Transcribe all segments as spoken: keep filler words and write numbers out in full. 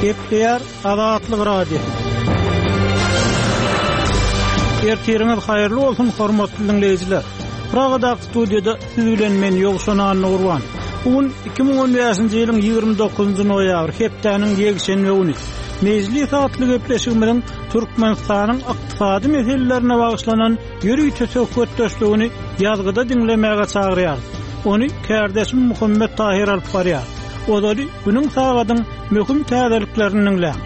Gepleýär Azatlyk Radiosy. Ertiriňiz haýyrly bolsun, hormatly diňleýjiler. Pragadaky studiýada siz bilen men Ýowşan Annagurban. Bu gün iki müň on bäşinji ýylyň ýigrimi dokuzynjy noýabry, hepdäniň ýekşenbe güni. Mejlis atly gepleşigimiziň Türkmenistanyň ykdysady meselelerine bagyşlanan ýörite söhbetdeşligini ýazgyda diňlemäge çagyrýarys. Ony kärdeşim Muhammet Tahir alyp barýar. Ozaly günüň sagadyň möhüm täzeliklerini diňläň.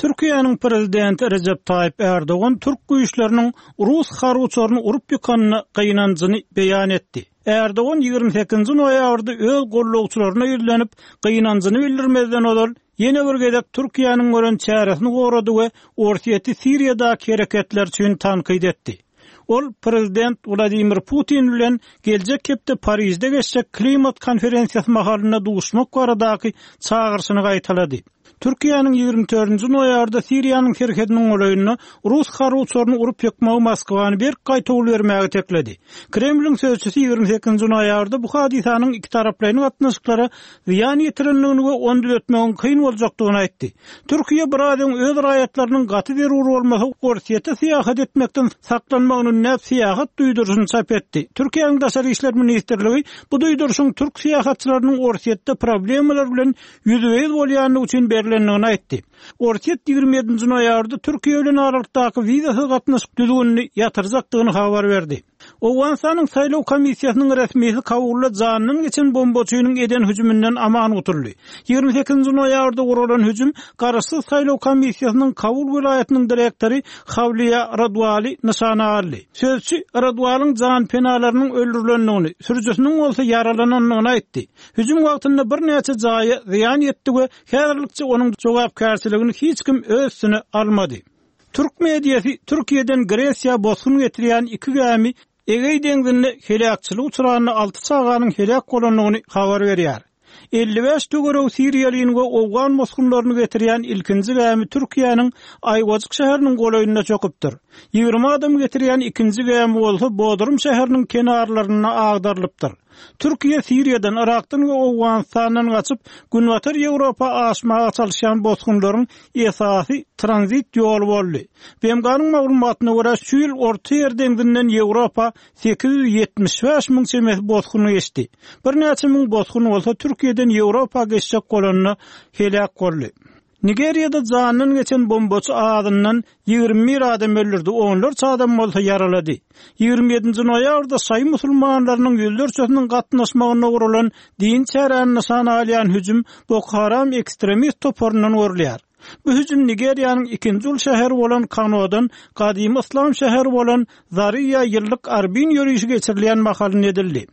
Türkiýäniň prezidenti Recep Tayyip Erdogan türk güýçleriniň rus harby uçaryny urup ýykanyna gynanjyny beýan etdi. Erdogan ýigrimi sekizinji noýabrda öz gollagçylaryna ýüzlenip, gynanjyny bildirmezden ozal ýene bir gezek Türkiýäniň gören çäresini gorady we Orsýeti Siriýadaky hereketler üçin tankyt etdi. Ol prezident Wladimir Putin bilen geljek hepde Parijde geçjek klimat konferensiýasy mahalynda duşmak baradaky çagyryşyny gaýtalady. Türkiýäniň ýigrimi dördünji noýabrda Siriýanyň serhediniň golaýynda rus harby uçaryny urup ýykmagy Moskwany berk gaýtawul bermäge tekledi. Kremliň sözçüsi ýigrimi sekizinji noýabrda bu hadysanyň iki taraplaýyn gatnaşyklara zyýan ýetirendigini we ony düzetmegiň kyn boljakdygyny aýtdy. Türkiýe bir adyň öz raýatlarynyň gaty zerur bolmasa Orsýete syýahat etmekden saklanmagyny ündäp syýahat duýduryşyny çap etdi. Türkiýäniň Daşary işler ministrligi bu duýduryşyň türk syýahatçylarynyň Orsýetde problemalar bilen ýüzbe-ýüz bolýandygy üçin berilendigini aýtdy. Orsýet ýigrimi ýedinji noýabrda Türkiýe bilen aralykdaky wizasyz gatnaşyk düzgünini ýatyrjakdygyny habar berdi. Owganystanyň saýlaw komissiýasynyň resmisi Kabulda janyndan geçen bombaçynyň eden hüjüminden aman gutuldy. Ýigrimi sekizinji noýabrda guralan hüjüm Garaşsyz saýlaw komissiýasynyň Kabul welaýatynyň direktory Hawliýa Radwali nyşana aldy. Sözçi Radwalyň jan penalarynyň öldürilendigini, sürüjisiniň bolsa ýaralanandygyny aýtdy. Hüjüm wagtynda birnäçe jaýa zyýan ýetdi we häzirlikçe onuň jogapkärçiligini hiç kim öz üstüne almady. Türk mediasy Türkiýeden Gresiýa bosgun getirýän iki gämi Egeý deňzinde heläkçilik uçranyna alty çaganyň heläk bolandygyny habar berýär. Elli bäş töweregi Siriýalyň we Owgan bosgunlaryny getirýän ilkinji gämi Türkiýäniň Aýwajyk şäheriniň golaýynda çöküpdir. Ýigrimi adam getirýän ikinji gämi bolsa Bodrum şäheriniň kenarlarynda agdarylypdyr. Türkiýe Siriýadan, Irakdan we Owganistandan gaçyp, Günbatar Ýewropa aşmaga çalyşýan bosgunlaryň esasy tranzit ýoly boldy. B M G-nyň maglumatyna görä, şu ýyl Orta Ýer deňzinden Ýewropa sekiz ýüz ýetmiş bäş müň çemesi bosgun geçdi. Birnäçe müň bosgun bolsa Türkiýeden Ýewropa geçjek bolanda heläk boldy. Nigeriýada jandan geçen bombaçy adyndan ýigrimi bir adam öldürdi, onlarça adam bolsa ýaralady. Ýigrimi ýedinji noýabrda şaýy musulmanlarynyň ýüzlerçesiniň gatnaşmagynda guralan din çäräni nyşana alýan hüjüm Boko Haram ekstremist toparyndan görülýär. Bu hüjüm Nigeriýanyň ikinji uly şäheri bolan Kanodan gadymy yslam şäheri bolan Zariýa ýyllyk arbin ýörişi geçirilýän mahalynda edildi.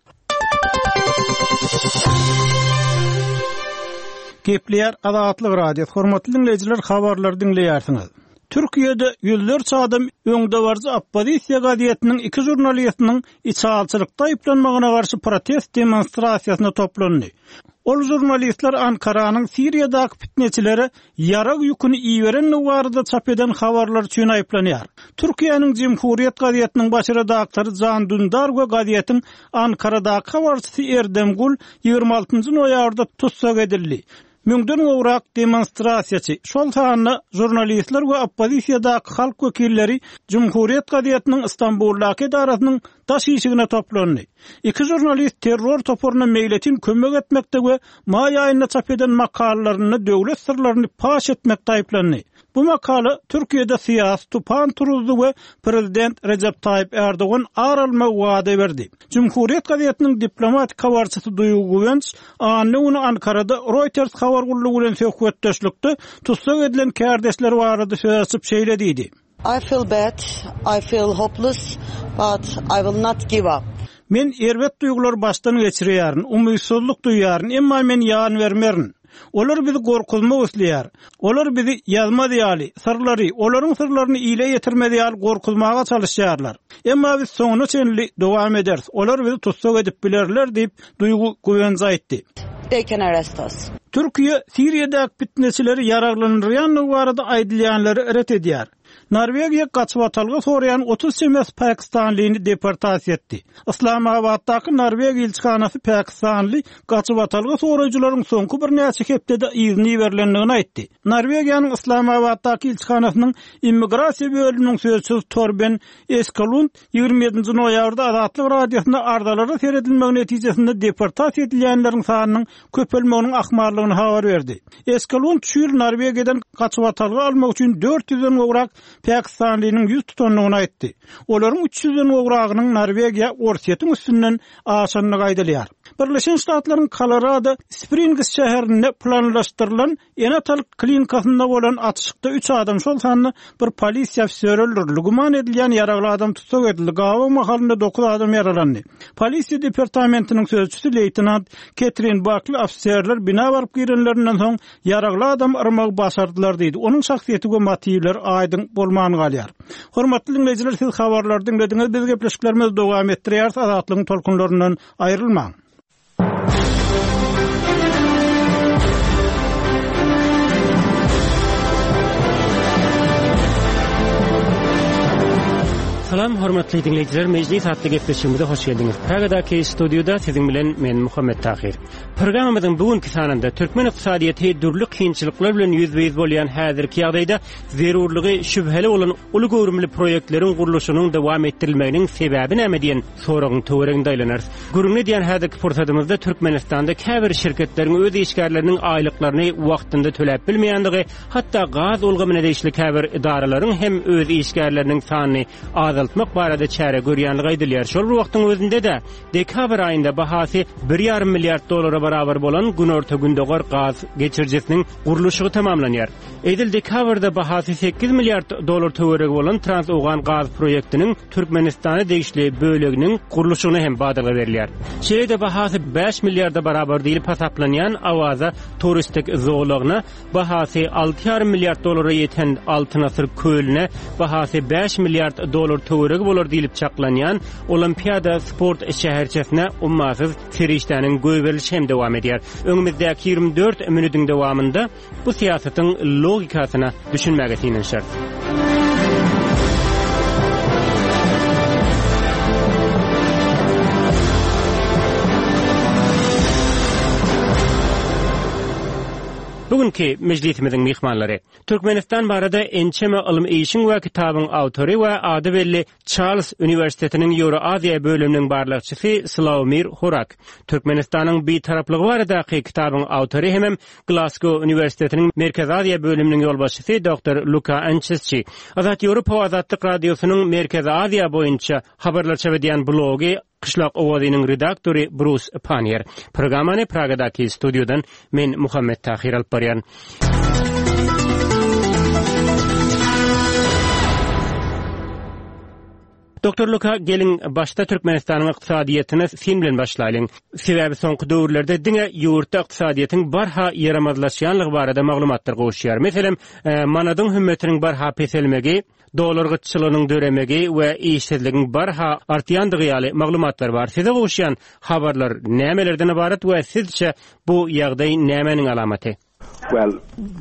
Gepleýär Azatlyk Radiosy. Hormatly dinleýjiler, habarlary diňleýärsiňiz. Türkiýede ýüzlerçe adam öňdebaryjy oppozisiýa gazetiniň iki žurnalistiniň içalçylykda aýyplanmagyna garşy protest demonstrasiýasyna toplandy. Ol žurnalistler Ankaranyň Siriýadaky fitneçilere ýarag ýüküni iberendigi barada çap eden habarlar üçin aýyplanýar. Türkiýäniň Cumhuriyet gazetiniň baş redaktory Can Dündar we gazetiň Ankaradaky habarçysy Erdem Gul ýigrimi altynjy noýabrda tussag edildi. Müňden gowrak demonstrasiýaçy, şol sanda žurnalistler we oppozisiýadaky halk wekilleri Cumhuriyet gazetiniň Istanbuldaky edarasynyň daş işigine toplandy. Iki žurnalist terror toparyna meýletin kömek etmekde we maý aýynda çap eden makalalarynda döwlet syrlaryny paş etmekde aýyplandy. Bu makala Türkiýede syýasy tupan turuzdy we prezident Recep Tayyip Erdogan ar almagy wada berdi. Cumhuriyet gazetiniň diplomatik habarçysy Duygu Güvenç anna güni Ankarada Reuters habar gullugy bilen söhbetdeşlikde tussag edilen kärdeşler barada söz açyp şeýle diýdi. I feel bad, I feel hopeless, but I will not give up. Men erbet duýgular başdan geçirýärin, umytsyzlyk duýýaryn, emma men ýan bermerin. Olar bizi gorkuzmak isleýär. Olar bizi ýazmaz ýaly, syrlary, olaryň syrlaryny ile ýetirmez ýaly gorkuzmaga çalyşýarlar. Emma biz soňuna çenli dowam ederis. Olar bizi tussag edip bilerler diýip Duygu Güvenç aýtdy. They can arrest us. Türkiýe Siriýadaky fitneçileri ýaraglandyrýandygy barada aýdylýanlary ret edýär. Norwegiýa gaçybatalga soraýan otuz çemesi pakistanlyny deportasiýa etdi. Yslamabatdaky Norwegiýa ilçihanasy pakistanly gaçybatalga soraýjylaryň soňky birnäçe hepdede yzyny berilendigini aýtdy. Norwegiýanyň Yslamabatdaky ilçihanasynyň immigrasiýa bölüminiň sözçüsi Torben Eskelund ýigrimi ýedinji noýabrda Azatlyk Radiosyna arzalara seredilmegi netijesinde deportasiýa edilýänleriň sanynyň köpelmeginiň ahmallygyny habar berdi. Eskelund şu ýyl Norwegiýadan gaçybatalga almak üçin dört ýüzden gowrak Pakistanlynyň ýüz tutandygyny aýtdy. Olaryň üç ýüzden gowragynyň Norwegiýa Orsýetiň üstünden aşandygy aýdylýar. Birleşen Ştatlaryň Colorado Springs şäherinde planlaşdyrylan ene-atalyk klinikasynda bolan atyşykda üç adam, şol sanda bir polisiýa ofiseri öldürildi. Güman edilýän ýaragly adam tussag edildi. Gawa mahalynda dokuz adam ýaralandy. Polisiýa departamentiniň sözçüsi leýtenant Ketrin Bakly ofiserler bina baryp girenlerinden soň ýaragly adam yrmagy başardylar diýdi. Onuň şahsyýeti we motiwleri aýdyň bolman galýar. Hormatly dinleýjiler, siz habarlary diňlediňiz. Biz gepleşiklerimizi dowam etdirýäris. Azatlygyň tolkunlaryndan aýrylmaň. Salam hormatly dinleýjiler, Mejlis atly gepleşigimize hoş geldiňiz. Pragadaky studiýada siziň bilen men Muhammet Tahir. Programmamyzyň bugünkü sanynda türkmen ykdysadyýeti dürli kynçylyklar bilen ýüzbe-ýüz bolýan häzirki ýagdaýda zerurlygy şübheli bolan uly göwrümli proýektleriň gurluşynyň dowam etdirilmeginiň sebäbi näme diýen soragyň töwereginde aýlanarys. Gürrüň edýän häzirki pursadymyzda Türkmenistanda käbir şirketleriň öz işgärleriniň aýlyklaryny wagtynda töläp bilmeýändigi, hatda gaz ulgamyna degişli käbir edaralaryň hem öz işgärleriniň sanyny azaltmak barada çäre görýänligi aýdylýar. Şol bir wagtyň özünde de dekabr aýynda bahasy bir ýarym milliard dolara barabar bolan Günorta Gündogar gaz geçirijisiniň gurluşygy tamamlanýar. Edil dekabrda bahasy sekiz milliard dolar töweregi bolan Trans-Owgan gaz proýektiniň Türkmenistana degişli böleginiň gurluşygyna hem badalga berilýär. Şeýle-de bahasy bäş milliarda barabar diýlip hasaplanýan Awaza turistik zolagyna bahasy alty ýarym milliard dolara ýeten Altyn Asyr kölüne bahasy bäş milliard dolar töweregi bolar diýlip çaklanýan Olimpiada sport şäherçesine ummasyz serişdäniň goýberilişi hem dowam edýär. Öňümizdäki ýigrimi dört minutiň dowamynda bu syýasatyň logikasyna düşünmäge synanyşarys. Bugünkü meclisimizin mihmanlary Türkmenistan barada ençeme ylym işiň we kitabyň awtory we ady belli Charles Üniversitetiniň Ýewroaziýa bölüminiň barlagçysy Slawomir Horak, Türkmenistanyň bitaraplygy baradaky kitabyň awtory hemem Glasgow Üniversitetiniň Merkezi Aziýa bölüminiň ýolbaşçysy doktor Luka Ançesçi, Azat Ýewropa Azatlyk Radiosynyň Merkezi Aziýa boýunça habarlar çap edýän blogy Qishlaq owazynyň redaktory Brus Pannier. Programmany Pragadaky studiýadan men Muhammet Tahir alyp barýan. Doktor Luka, gelin başda Türkmenistanyň ykdysadyýetine sin bilen başlaýlyň. Sebäbi soňky döwürlerde diňe ýurtda ykdysadyýetiň barha ýaramazlaşýanlygy barada maglumatlar gowuşýar. Meselem, e, manadyň hümmetiniň barha peselmegi, dolar gytçylygynyň döremegi we işsizligiň barha artýandygy ýaly maglumatlar bar. Size gowuşýan habarlar nämelerden ibarat we sizçe bu ýagdaý nämäniň alamaty? Well,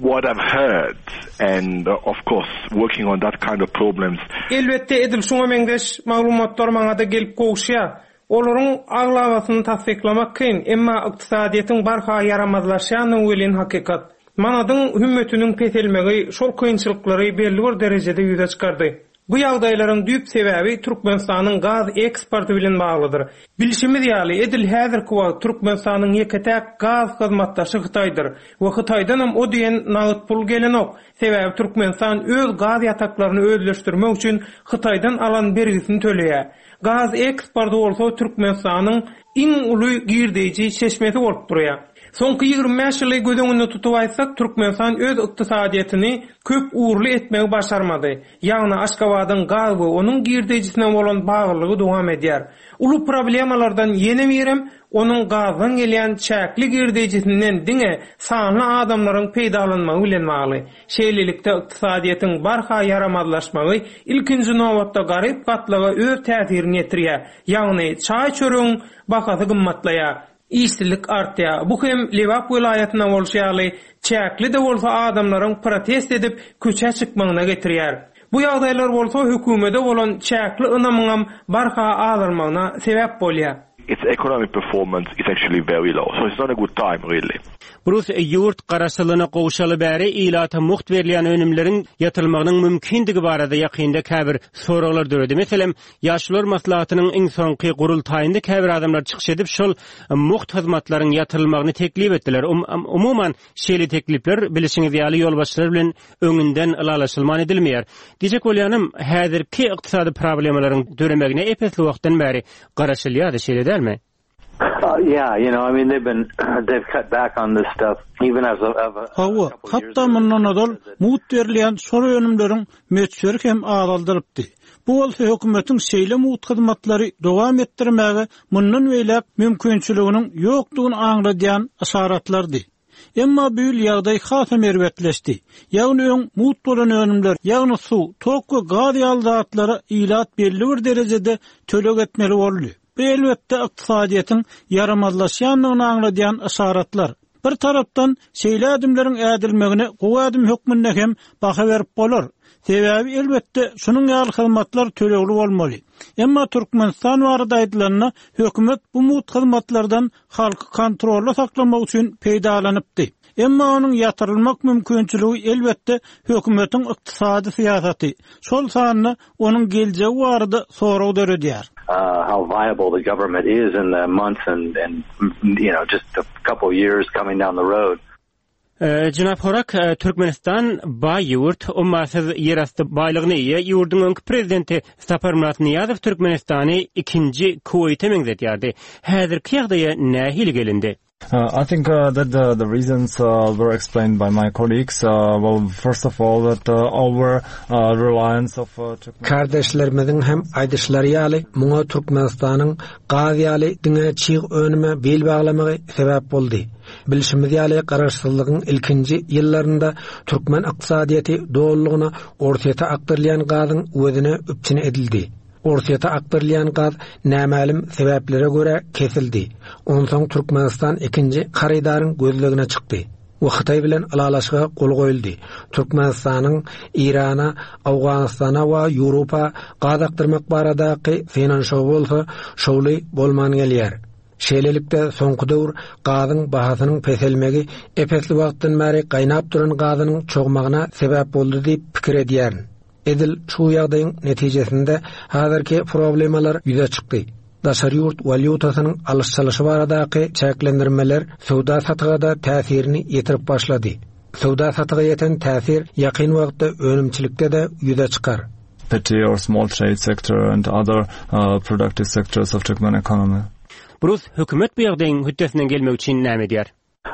what I've heard, and of course working on that kind of problems. Elbetde edil şuňa meňzeş maglumatlar maňa da gelip gowuşýar. Olaryň aglabasyny tassyklamak kyn, emma ykdysadyýetiň barha ýaramazlaşýandygy welin hakykat. Manadyň hümmetiniň peselmegi şol kynçylyklary belli bir derejede ýüze çykardy. Bu ýagdaýlaryň düýp sebäbi Türkmenistanyň gaz eksporty bilen baglydyr. Bilşimiz ýaly, edil häzirki wagt Türkmenistanyň ýeke-täk gaz hyzmatdaşy Hytaýdyr we Hytaýdan hem o diýen nagt pul gelenok. Sebäbi Türkmenistan öz gaz ýataklaryny özleşdirmek üçin Hytaýdan alan bergisini töleýär. Gaz eksporty bolsa Türkmenistanyň iň uly girdeýji çeşmesi bolup durýar. Soňky ýigrimi bäş ýyly göz öňünde tutup aýtsak, Türkmenistan öz ykdysadyýetini köp ugurly etmegi başarmady. Ýagny Aşgabadyň gaz we onuň girdeýjisine bolan baglylygy dowam edýär. Uly problemalardan ýene birem onuň gazdan gelýän çäkli girdeýjisinden diňe sanly adamlaryň peýdalanmagy bilen bagly. Şeýlelikde ykdysadyýetiň barha ýaramazlaşmagy ilkinji nobatda garyp gatlaga öz täsirini ýetirýär. Ýagny çaý çöregiň bahasy gymmatlaýar. Işsizlik artýar. Bu hem Lebap welaýatyna bolşy ýaly çäkli de bolsa adamlaryň protest edip köçä çykmagyna getirýär. Bu ýagdaýlar bolsa hökümete bolan çäkli ynamyňam barha azalmagyna sebäp bolýar. Its economic performance is actually very low, so it's not a good time really. Brus ýurt garaşsyzlygyna gowşaly bäri ilata mugt berilýän önümleriň ýatyrylmagynyň mümkindigi barada ýakynda käbir soraglar döredi. Meselem, Ýaşlar maslahatynyň iň soňky gurultaýynda käbir adamlar çykyş edip, şol mugt hyzmatlaryň ýatyrylmagyny teklip etdiler. Um, umuman, şeýle teklipler bilişiňiz ýaly ýolbaşçylar bilen öňünden ylalaşylman edilmeýär. Diýjek bolýanym, häzirki ykdysady problemalaryň döremegine epesli wagtdan bäri garaşylýardy, şeýle dälmi? Uh, yeah, you know, I mean, they've been they've cut back on this stuff even as of, of a Hawa, hatda mundan ozal mugt berilýän şol önümleriň möçberi hem azaldylypdy. Bu bolsa hökümetiň şeýle mugt hyzmatlary dowam etdirmäge mundan beýläk mümkinçiliginiň ýokdugyny aňladýan yşaratlardy. Emma bu ýyl ýagdaý hasam erbetleşdi. Ýagny öň mugt bolan önümler, ýagny suw, tok we gaz ýaly zatlara ilat belli bir derejede töleg etmeli boldy. Bu elbetde ykdysadyýetiň ýaramazlaşýandygyny aňladýan yşaratlar. Bir tarapdan şeýle ädimleriň ädilmegine gowy ädim hökmünde hem baha berip bolar. Sebäbi elbetde şunuň ýaly hyzmatlar tölegli bolmaly. Emma Türkmenistan barada aýdylanda hökümet bu mugt hyzmatlardan halky kontrolda saklamak üçin peýdalanypdy. Emma onuň ýatyrylmak mümkinçiligi elbetde hökümetiň ykdysady syýasaty, şol sanda onuň geljegi barada sorag döredýär. uh, how viable the government is in the months and, and you know just a couple years coming down the road. Ee, Jenap Horak, e, Türkmenistan baý ýurt, ummasyz ýerasty baýlygyna eýe ýurduň öňki prezidenti Saparmyrat Nyýazow Türkmenistany ikinji Kuweýte meňzetýärdi. Häzirki ýagdaýa nähili gelindi? Uh, I think uh, that the, the reasons uh, were explained by my colleagues. Uh, well, first of all, that uh, our uh, reliance of uh, Turkmen- Kardeşlerimiziň hem aýdyşlary ýaly muňa Türkmenistanyň gaz ýaly diňe çig önüme bil baglamagy sebäp boldy. Bilşimiz ýaly garaşsyzlygyň ilkinji ýyllarynda türkmen ykdysadyýeti dolulygyna Orsyýete akdyrylýan gazyň özüne üpjün edildi. Orsyýete akdyrylýan gaz nämälim sebäplere görä kesildi. Onsoň Türkmenistan ikinji harydaryň gözlegine çykdy. We Hytaý bilen ylalaşyga gol goýuldy. Türkmenistanyň Irana, Awganystana we Ýewropa gaz akdyrmak baradaky synanyşygy bolsa şowly bolman gelýär. Şeýlelikde soňky döwür gazyň bahasynyň peselmegi epesli wagtdan bäri gaýnap duran gazynyň çogmagyna sebäp boldy diýip pikir edýärin. Edil şu ýagdaýyň netijesinde häzirki problemalar ýüze çykdy. Daşary ýurt walýutasynyň alyş-çalyşy baradaky çäklendirmeler söwda satyga täsirini ýetirip başlady. Söwda satyga ýeten täsir ýakyn wagtda önümçilikde-de ýüze çykar. petty or small trade sector and other uh, productive sectors of Turkmen economy. Brus, hökümet bu ýagdaýyň hötdesinden gelmek üçin näme edýär?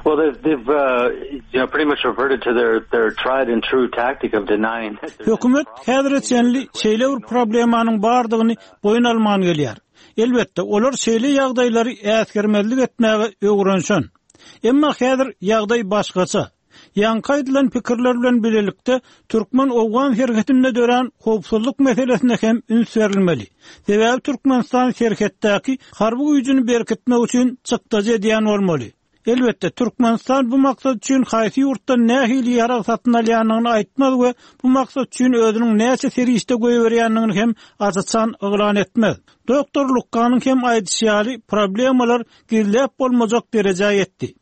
Well, they've, they've uh, you know, pretty much reverted to their, their tried and true tactic of denying that there's Hökümet häzire çenli şeýle bir problemanyň bardygyny boýun alman gelýär. Elbetde, olar şeýle ýagdaýlary äsgermezlik etmäge öwrenşen. Emma häzir ýagdaý başgaça. Ýaňky aýdylan pikirler bilen birlikde Türkmen-Owgan serhedinde dörän howpsuzlyk meselesine hem üns berilmeli. Sebäbi Türkmenistan serhetdäki harby güýjüni berkitmek üçin çykdajy edýän bolmaly. Elbetde Türkmenistan bu maksat üçin haýsy ýurtdan nähili ýarag satyn alýanyny aýtmaz we bu maksat üçin özüniň näçe serişde goýberýänini hem aç-açan yglan etmez. Doktor Lukkanyň hem aýdyşy ýaly problemalar gizläp bolmajak derejä ýetdi.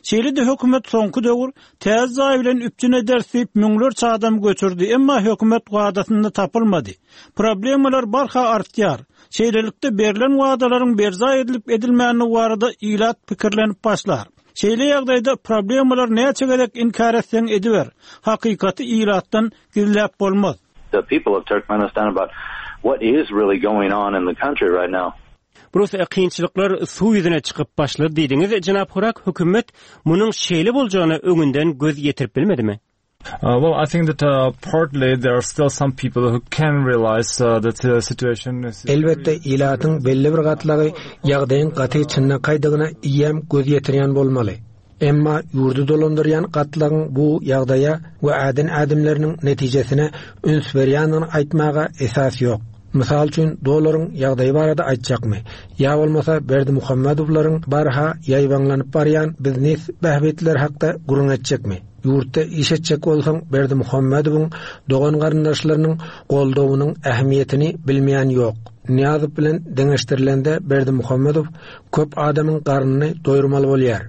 Şeýle-de hökümet soňky döwür täze jaý bilen üpjün ederis diýip müňlerçe adam göçürdi, emma hökümet wadasynda tapylmady. Problemalar barha artýar. Şeýlelikde berlen wadalaryň berjaý edilip edilmänligi barada ilat pikirlenip başlar. Şeýle ýagdaýda problemalar näçe gezek inkär etseň ediber. Hakykaty ilatdan gizläp bolmaz. the people of Turkmenistan about what is really going on in the country right now. Brus, kynçylyklar suw ýüzüne çykyp başlady diýdiňiz. Jenap Horak, hökümet munuň şeýle boljagyna öňünden göz ýetirip bilmedimi? Uh, well, I think that uh, partly there are still some people who can realize uh, that the situation is Elbetde ilatyň belli bir gatlagy ýagdaýyň gaty çynlakaýdygyna eýýäm göz ýetirýän bolmaly. Emma ýurdy dolandyrýan gatlagyň bu ýagdaýa we äden ädimleriniň netijesine üns berýändigini aýtmaga esas ýok. Mysal üçin dolaryň ýagdaýy barada aýtjakmy? Ýa bolmasa Berdimuhamedowlaryň barha ýaýbaňlanyp barýan biznes bähbitleri hakda gürrüň etjekmi? Ýurtda iş etjek bolsaň Berdimuhamedowyň dogan garyndaşlarynyň goldawynyň ähmiýetini bilmeýän ýok. Nyýazow bilen deňeşdirilende Berdimuhamedow köp adamyň garnyny doýurmaly bolýar.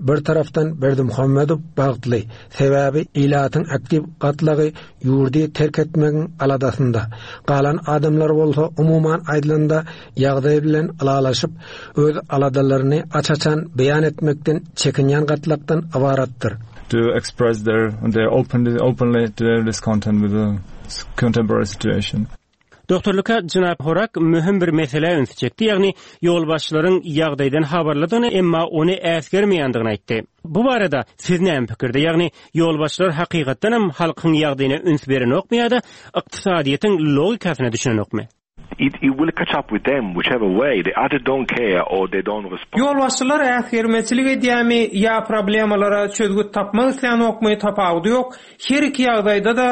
Bir tarapdan Berdimuhamedow bagtly, sebäbi ilatyň aktiw gatlagy ýurdy terk etmegiň aladasynda. Galan adamlar bolsa umuman aýdylanda ýagdaý bilen ylalaşyp, öz aladalaryny aç-açan beýan etmekden çekinýän gatlakdan ybaratdyr. To express their, their openly, openly their discontent with the contemporary situation. Doktor Luka Jenap Horak möhüm bir mesele ünsi çekdi, ýagny ýolbaşçylaryň ýagdaýdan habarlydygyny, emma ony äsgermeýändigini aýtdy. Bu barada siz näme pikirde? Ýagny ýolbaşçylar hakykatdan hem halkyň ýagdaýyna üns berenokmy ýa-da ykdysadyýetiň logikasyna düşünenokmy? It, it will catch up with them whichever way. They either don't care or they don't respond. Ýolbaşçylar äsgermeçilik edýärmi ýa problemalara çözgüt tapmak isleýänokmy tapawudy ýok. Her iki ýagdaýda da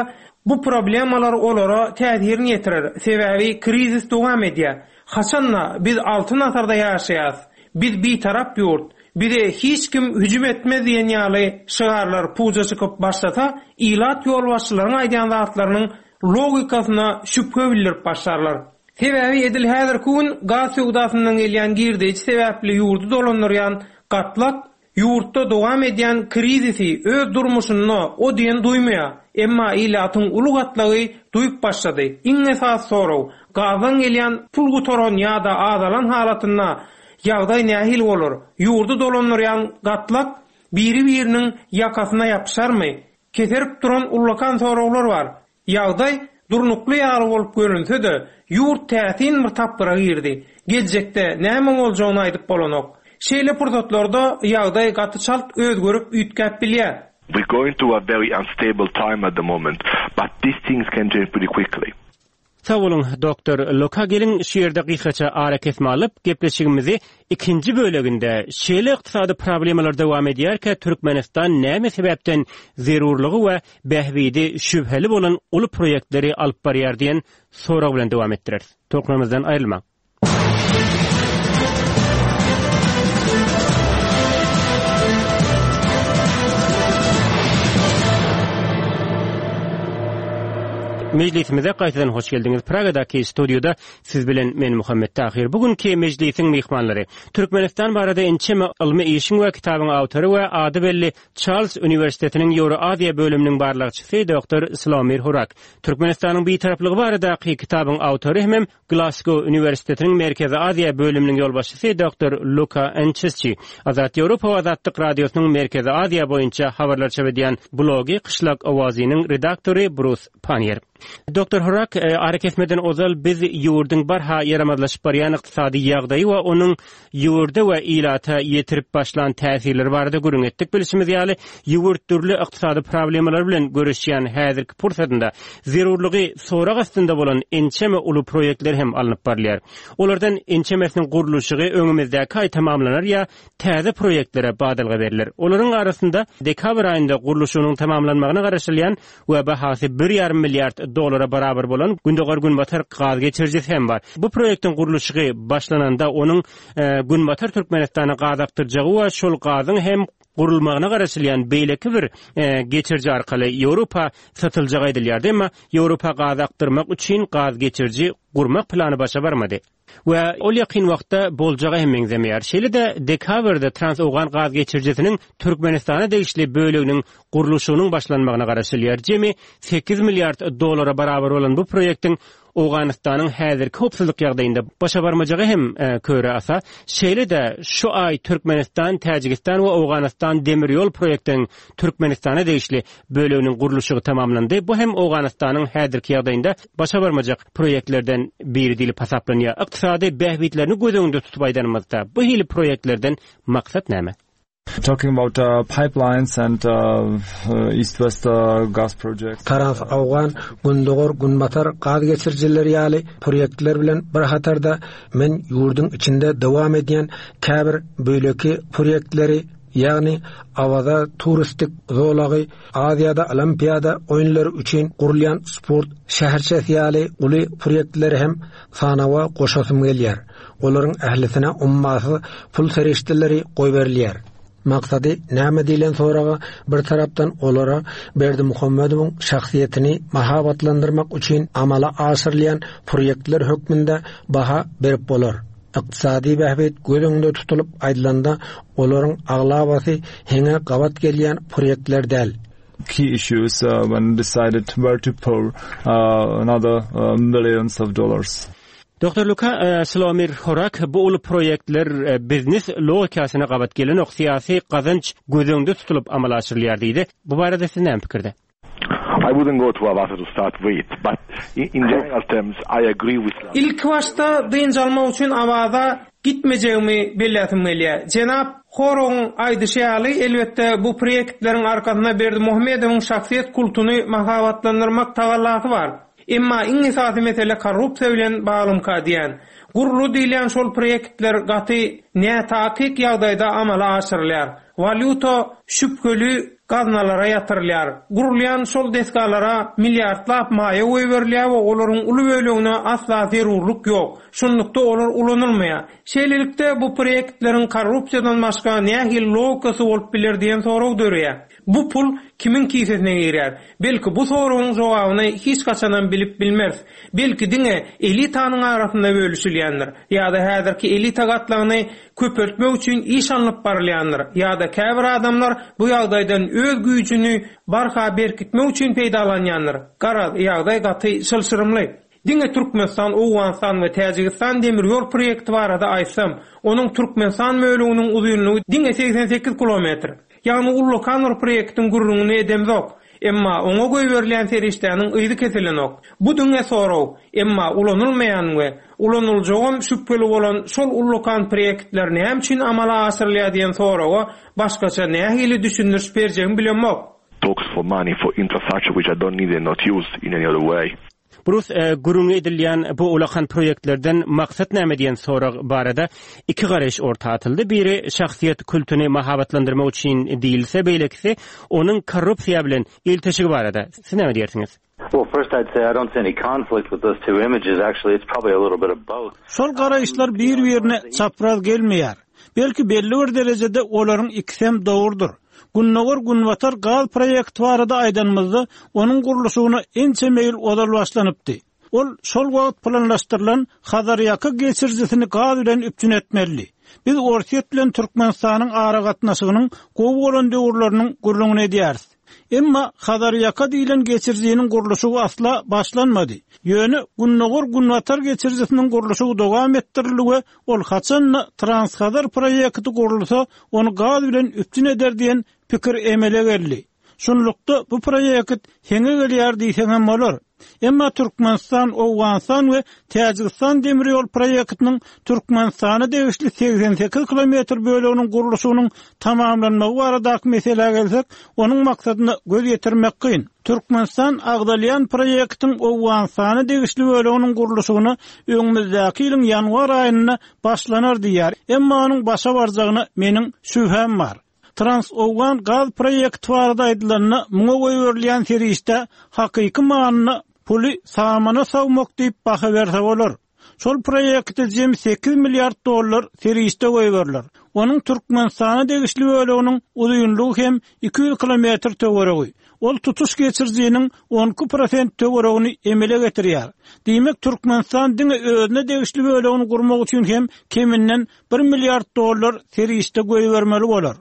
bu problemalar olara täsirini ýetirer. Sebäbi krizis dowam edýär. Haçanda biz altyn asyrda ýaşaýas. Biz bitarap ýurt. Bize hiç kim hüjüm etmez diýen ýaly şygarlar puja çykyp başlasa, ilat ýolbaşçylaryň aýdýan zatlarynyň logikasyna şübhe bildirip başlarlar. Sebäbi edil häzirki gün gaz söwdasyndan gelýän girdeji sebäpli ýurdy dolandyrýan gatlak ýurtda dowam edýän krizisi öz durmuşynda o diýen duýmaýar. Emma ilatyň uly gatlagy duýup başlady. Iň esasy sorag, gazdan gelýän pul gutaran ýa-da azalan halatynda ýagdaý nähili bolar? Ýurdy dolandyrýan gatlak biri-biriniň ýakasyna ýapyşarmy? Keserip duran ullakan soraglar bar. Ýagdaý durnukly ýaly bolup görünse-de, ýurt täsin bir tapgyra girdi. Geljekde näme boljagyny aýdyp bolanok. Şeýle pursatlarda ýagdaý gaty çalt özgerip üýtgäp bilýär. We're going through a very unstable time at the moment, but these things can change pretty quickly. Sag boluň, doktor Luka geliň şu ýerde gysgaça ara kesme alyp, gepleşigimizi ikinji böleginde şeýle ykdysady problemalar dowam edýärkä Türkmenistan näme sebäpden zerurlygy we bähbidi şübheli bolan uly proýektleri alyp barýar diýen sorag bilen dowam etdireris. Tolkunlarymyzdan aýrylmaň. Mejlisimize gaýtadan hoş geldiňiz. Pragadaky studiýada siz bilen men Muhammet Tahir. Bugünkü mejlisiň myhmanlary Türkmenistan barada ençeme ylmy işiň we kitabyň awtory we ady belli Charles Uniwersitetiniň Ýewroaziýa bölüminiň barlagçysy doktor Slawomir Hurak. Türkmenistanyň bitaraplygy baradaky kitabyň awtory hem Glasgow Uniwersitetiniň Merkezi Aziýa bölüminiň ýolbaşçysy doktor Luka Ençesçi. Azat Ýewropa we Azatlyk Radiosynyň Merkezi Aziýa boýunça habarlar çap edýän blogy Kyşlak Owazynyň redaktory Brus Pannier. Doktor Hurak, e, ara kesmeden ozal biz ýurduň barha ýaramazlaşyp barýan ykdysady ýagdaýy we onuň ýurda we ilata ýetirip başlan täsirleri barada gürrüň etdik. Bilşimiz ýaly, ýurt dürli ykdysady problemalar bilen görüşýän häzirki pursatynda zerurlygy sorag astynda bolan ençeme uly proýektler hem alnyp barylýar. Olardan ençemesiniň gurluşygy öňümizdäki aý tamamlanar ýa täze proýektlere badalga beriler. Olaryň arasynda dekabr aýynda gurluşygynyň tamamlanmagyna garaşylýan we bahasy bir ýarym milliard dolara barabar bolan Gündogar Günbatar gaz geçirijisi hem bar. Bu proýektiň gurluşygy başlananda onuň, e, Günbatar Türkmenistana gaz akdyrjagy we şol gazyň hem gurulmagyna garaşylýan beýleki bir, e, geçiriji arkaly Ýewropa satyljagy aýdylýardy. Emma Ýewropa gaz akdyrmak üçin gaz geçiriji gurmak plany başa barmady. We ol ýakyn wagtda boljaga hem meňzemeýär. Şeýle-de dekabrda Trans-Owgan gaz geçirijisiniň Türkmenistana degişli böleginiň gurluşygynyň başlanmagyna garaşylýar. Jemi sekiz milliard dolara barabar bolan bu proýektiň Owganystanyň häzirki howpsuzlyk ýagdaýynda başa barmajagy hem, e, köre asa. Şeýle-de şu aý Türkmenistan, Täjigistan we Owganystan demir ýol proýektiniň Türkmenistana degişli böleginiň gurluşygy tamamlandy. Bu hem Owganystanyň häzirki ýagdaýynda başa barmajak proýektlerden biri diýlip hasaplanýar. Ykdysady bähbitlerini göz öňünde tutup aýdanymyzda bu hili proýektlerden maksat näme? Talking about, uh, pipelines and, uh, uh, East-West, uh, gas projects. Trans-Awgan, Gündogar, Günbatar gaz geçirijileri ýaly proýektler bilen bir hatarda men ýurduň içinde dowam edýän käbir böleki proýektleri, Ýagny Awaza turistik zolagy Aziýada Olimpiada oýunlary üçin gurulýan sport şäherçesi ýaly uly proýektleri hem sanawa goşasym gelýär. Olaryň ählisine ummasyz pul serişdeleri goýberilýär. Maksady näme diýlen soraga bir tarapdan olara Berdimuhamedowyň şahsyýetini mahabatlandyrmak üçin amala aşyrylýan proýektler hökmünde baha berip bolar. Ykdysady bähbit göz öňünde tutulyp aýdylanda olaryň aglabasy heňe gabat gelýän proýektler däl. Key issues uh, when decided where to pour uh, another uh, millions of dollars. Doktor Luka e, Slawomir Horak bu uly proýektler e, biznes logikasyna gabat gelenok syýasy gazanç göz öňünde tutulyp amala aşyrylýar diýdi. Bu barada siz näme pikirde? I wouldn't go to Avaza to start with, but in, in general terms, I agree with Ilk başda dynç almak üçin Awaza gitmejegimi belläsim gelýär. Jenap Horagyň aýdyşy ýaly, elbetde bu proýektleriň arkasynda Berdimuhamedowyň şahsyýet kultuny mahabatlandyrmak tagallasy bar. Emma iň esasy mesele korrupsiýa bilen baglymyka diýen. Guruldy diýilýän şol proýektler gaty nätakyk ýagdaýda amala aşyrylýar. Walýuta şübheli gaznalara ýatyrylýar. Gurulýan şol desgalara milliardlap maýa goýberilýär we olaryň uly bölegine asla zerurlyk ýok. Şunlukda olar ulanylmaýar. Şeýlelikde bu proýektleriň korrupsiýadan başga nähili logikasy bolup biler diýen sorag döreýär. Bu pul kimiň kisesine girýär? Belki bu soragyň jogabyny hiç haçanam bilip bilmez. Belki diňe elitanyň arasynda bölüşilýändir ýa-da häzirki elita gatlagyny köpeltmek üçin iş alnyp barylýandyr ýa-da käbir adamlar bu ýagdaýdan öz güýjüni barha berkitmek üçin peýdalanýandyr. Garaz, ýagdaý gaty çylşyrymly. Diňe Türkmenistan, Owganystan we Täjigistan demir ýol proýekti barada aýtsam, onuň Türkmenistan bölüminiň uzynlygy diňe segsen sekiz kilometr. Ýagny ullakan bir proýektiň gürrüňini edemzok. Emma oňa goýberilýän serişdäniň yzy kesilenok. Bu diňe sorag, emma ulanylmaýan we ulanyljagam şübheli bolan şol ullakan proýektler näme üçin amala aşyrylýar diýen soraga başgaça nähili düşündiriş berjegimi bilemok. Talks for money for infrastructure which I don't need and not used in any other way. Brus, e, gürrüňi edilýän bu ulakan proýektlerden maksat näme diýen sorag barada iki garaýyş orta atyldy. Biri şahsyýet kultuny mahabatlandyrmak üçin diýilse, beýlekisi onuň korrupsiýa bilen ilteşigi barada. Siz näme diýersiňiz? Well, first I'd say I don't see any conflict with those two images. Actually, it's probably a little bit of both. Şol garaýyşlar bir-birine çapraz gelmeýär. Belki belli bir derejede olaryň ikisem dogrudyr. Gündogar Günbatar gaz proýekti barada aýdanymyzda, onuň gurluşygyna ençeme ýyl ozal başlanypdy. Ol şol wagt planlaşdyrylan Hazarýaka geçirijisini gaz bilen üpjün etmeli. Biz Orsýet bilen Türkmenistanyň aragatnaşygynyň gowy bolan döwürleriniň gürrüňini edýäris. Emma Hazarýaka diýilen geçirijiniň gurluşygy asla başlanmady. Ýöne Gündogar Günbatar geçirijisiniň gurluşygy dowam etdirildi we ol haçanda Transhazar proýekti gurulsa, ony gaz bilen üpjün eder diýen pikir emele geldi. Şunlukda bu proýekt heňe gelýär diýseň hem bolar. Emma Türkmenistan, Owganystan we Täjigistan demir ýol proýektiniň Türkmenistana degişli segsen sekiz kilometr böleginiň gurluşygynyň tamamlanmagy baradaky meselä gelsek, onuň maksadyna göz ýetirmek kyn. Türkmenistan agzalýan proýektiň Owganystana degişli böleginiň gurluşygyna öňümizdäki ýylyň ýanwar aýynda başlanar diýär. Emma onuň başa barjagyna meniň şübhäm bar. Trans-Owgan gaz proýekti barada aýdylanda, muňa goýberilýän serişde hakyky manyna puly samana sawmak diýip baha berse bolar. Şol proýekte jem sekiz milliard dollar serişde goýberiler. Onuň Türkmenistana degişli böleginiň uzynlygy hem iki ýüz kilometr töweregi. Ol tutuş geçirijiniň on iki prosent töweregini emele getirýär. Diýmek, Türkmenistan diňe özüne degişli bölegini gurmak üçin hem keminden bir milliard dollar serişde goýbermeli bolar.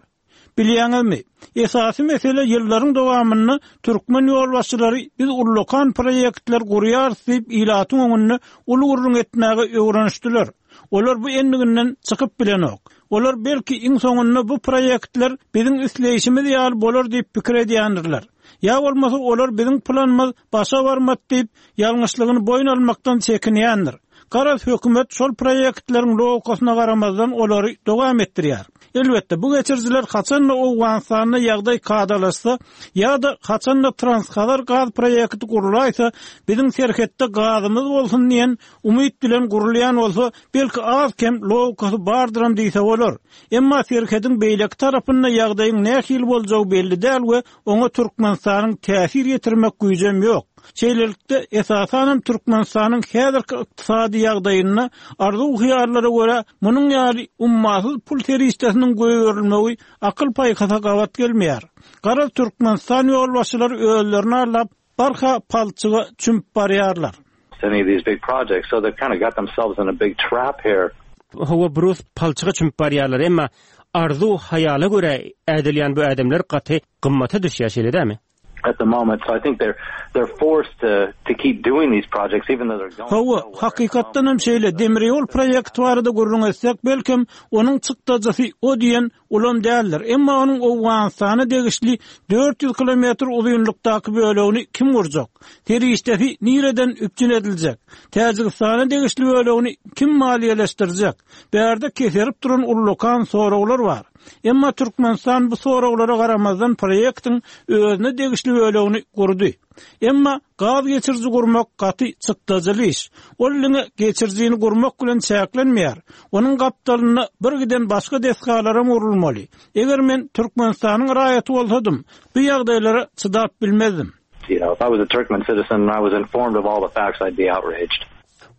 Bilýäňizmi? Esasy mesele ýyllaryň dowamynda türkmen ýolbaşçylary biz ullakan proýektler gurýarys diýip ilatyň öňünde uly gürrüň etmäge öwrenişdiler. Olar bu endiginden çykyp bilenok. Olar belki iň soňunda bu proýektler biziň isleýşimiz ýaly bolar diýip pikir edýändirler. Ýa bolmasa olar biziň planymyz başa barmat diýip ýalňyşlygyny boýun almakdan çekinýändir. Garaz hökümet şol proýektleriň logikasyna garamazdan olary dowam etdirýär. Elbetde, bu geçirijiler haçan-da Owganystanda ýagdaý kadalaşsa ýa-da haçan-da Transhazar gaz proýekti gurulaýsa, biziň serhetde gazymyz bolsun diýen umyt bilen gurulýan bolsa, belki az-kem logikasy bardyram diýse bolar. Emma serhediň beýleki tarapynda ýagdaýyň nähili boljagy belli däl we oňa Türkmenistanyň täsir ýetirmek güýjem ýok. Şeýlelikde, esasanam Türkmenistanyň häzirki ykdysady ýagdaýynda arzuw-hyýallara görä munuň ýaly ummasyz pul serişdesiniň goýberilmegi akyl paýhasa gabat gelmeýär. Garaz Türkmenistan ýolbaşçylary özlerini aldap, barha palçyga çümüp barýarlar. Any of these big projects, so they've kind of got themselves in a big trap here. Hawa, Brus, palçyga çümüp barýarlar, emma arzuw-hyýala görä ädilýän bu ädimler gaty gymmata düşýär, şeýle dälmi? At the moment, so I think they're they're forced to to keep doing these projects even though they're going Hawa, hakykatdan hem şeýle demir ýol proýekti barada gürrüň etsek, belkem onuň çykdajysy o diýen ulam däldir. Emma onuň Owganystana degişli dört ýüz kilometr uzynlykdaky bölegini kim gurjak? Serişdesi nireden üpjün ediljek? Täjigistana degişli bölegini kim maliýeleşdirjek? Bärde keserip duran ullakan soraglar bar. Emma Türkmenistan bu soraglara garamazdan proýektiň özüne degişli bölegini gurdy. Emma gaz geçiriji gurmak gaty çykdajyly iş. Ol diňe geçirijini gurmak bilen çäklenmeýär. Onuň gapdalynda bir giden başga desgalara gurulmaly. Eger men Türkmenistanyň raýaty bolsadym, bu ýagdaýlara çydap bilmezdim. You know, if I was a Turkmen citizen and I was informed of all the facts, I'd be outraged.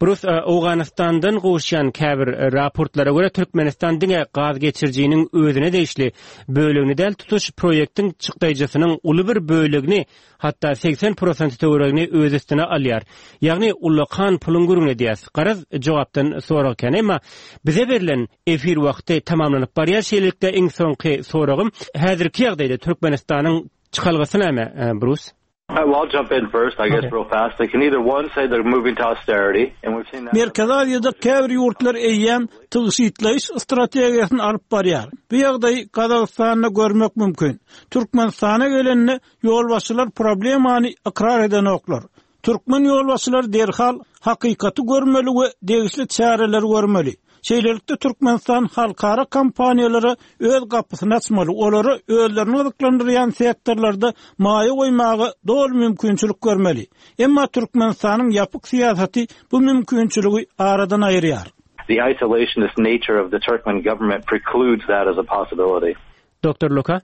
Brus, Owganystandan gowuşýan käbir raportlara görä Türkmenistan diňe gaz geçirijiniň özüne degişli bölegini däl, tutuş proýektiň çykdajysynyň uly bir bölegini, hatda segsen prosent töweregini öz üstüne alýar. Ýagny ullakan puluň gürrüň edýär. Garaz jogapdan sorag kän, emma bize berlen efir wagty tamamlanyp barýar. Şeýlelikde iň soňky soragym, häzirki ýagdaýda Türkmenistanyň çykalgasy näme, Brus? Uh, well, I'll jump in first, I guess, Okay. real fast. They can either one say they're moving to austerity, and we've seen that. Merkezi Aziýada käbir ýurtlar eýýäm tygşytlaýyş strategiýasyny alyp barýar. Bu ýagdaýy Gazagystanda görmek mümkin. Türkmenistana gelende ýolbaşçylar problemany ykrar edenoklar. Türkmen ýolbaşçylary derhal hakykaty görmeli we degişli çäreleri görmeli. Şeýlelikde Türkmenistan halkara kompaniýalara öz gapysyny açmaly, olara özlerini gyzyklandyrýan sektorlarda maýa goýmaga doly mümkinçilik görmeli. Emma Türkmenistanyň ýapyk syýasaty bu mümkinçiligi aradan aýyrýar. The isolationist nature of the Turkmen government precludes that as a possibility. Doktor Luka?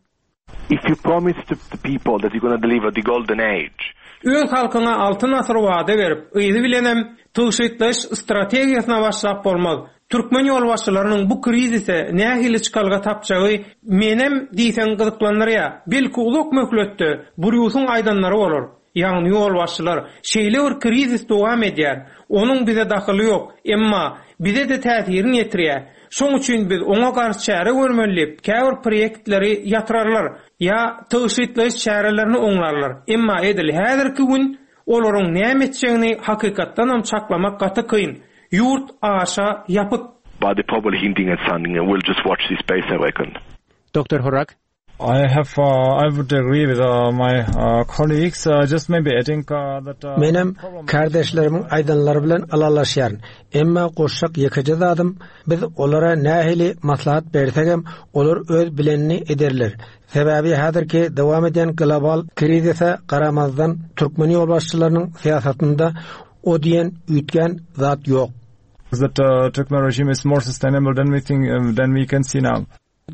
If you promise to the people that you're gonna deliver the golden age, Öz halkyna altyn asyr wada berip, yzy bilenem tygşytlaýyş strategiýasyna başlap bolmaz. Türkmen ýolbaşçylarynyň bu krizise nähili çykalga tapjagy menem diýseň gyzyklandyrýar. Belki uzak möhletde Brýusyň aýdanlary bolar. Ýagny ýolbaşçylar şeýle bir krizis dowam edýär. Onuň bize dahyly ýok, emma bize-de täsirini ýetirýär. Şoň üçin biz oňa garşy çäre görmeli diýip, käbir proýektleri ýatyrarlar ýa tygşytlaýyş çärelerini oňlarlar. Emma edil häzirki gün olaryň näme etjegini hakykatdanam çaklamak gaty kyn. Ýurt aşa ýapyk. But they're probably hinting at something and we'll just watch this space, I reckon. Doktor Horak? I have, uh, I would agree with, uh, my, uh, colleagues, uh, just maybe adding, uh, that, uh, Menem kardeşlerimiň aýdanlary bilen ylalaşýaryn. Emma goşjak ýekeje zadym, biz olara nähili maslahat bersegem, olar öz bilenini ederler. Sebäbi häzirki dowam edýän global krizise garamazdan türkmen ýolbaşçylarynyň syýasatynda o diýen üýtgän zat ýok. That, uh, Turkmen regime is more sustainable than we think, uh, than we can see now.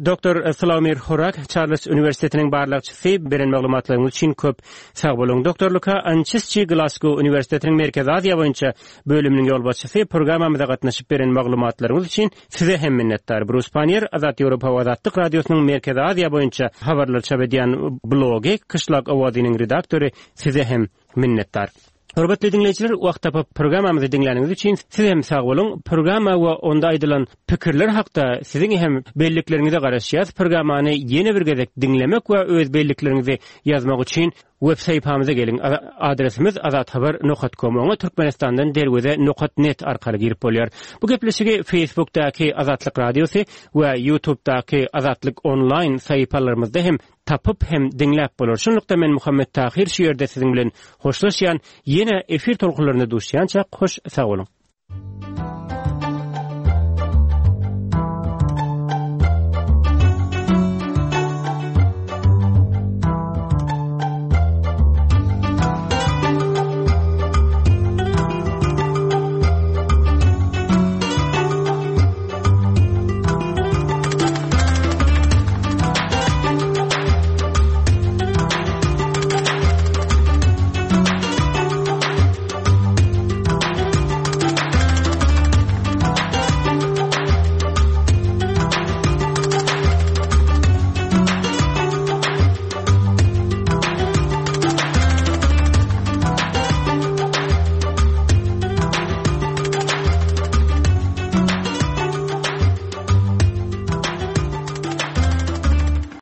Doktor Slavomir Horak, Charles Üniversitetiniň barlagçysy, beren maglumatlaryňyz üçin köp sag boluň. Doktor Luka Ançesçi, Glasgow Üniversitetiniň Merkezi Aziýa boýunça bölüminiň ýolbaşçysy, programmamyza gatnaşyp beren maglumatlaryňyz üçin size hem minnetdar. Brus Pannier, Azat Ýewropa we Azatlyk Radiosynyň Merkezi Aziýa boýunça habarlar çap edýän blogy Kyşlak Owazynyň redaktory, size hem minnetdar. Hormatly diňleýjiler, wagt tapyp programmamyzy diňläniňiz üçin siz hem sag boluň. Programma we onda aýdylan pikirler hakda siziň hem bellikleriňize garaşýarys. Programmany ýene bir gezek diňlemek we öz bellikleriňizi ýazmak üçin web sahypamyza geliň. A-, adresimiz azathabar nokta com. Oňa Türkmenistandan derweze nokta net arkaly girip bolýar. Bu gepleşigi Facebookdaky Azatlyk Radiosy we YouTubedaky Azatlyk online sahypalarymyzda hem tapyp hem diňläp bolar. Şunlukda men Muhammet Tahir şu ýerde siziň bilen hoşlaşýan, ýene efir tolkunlarynda duşýança hoş sag boluň.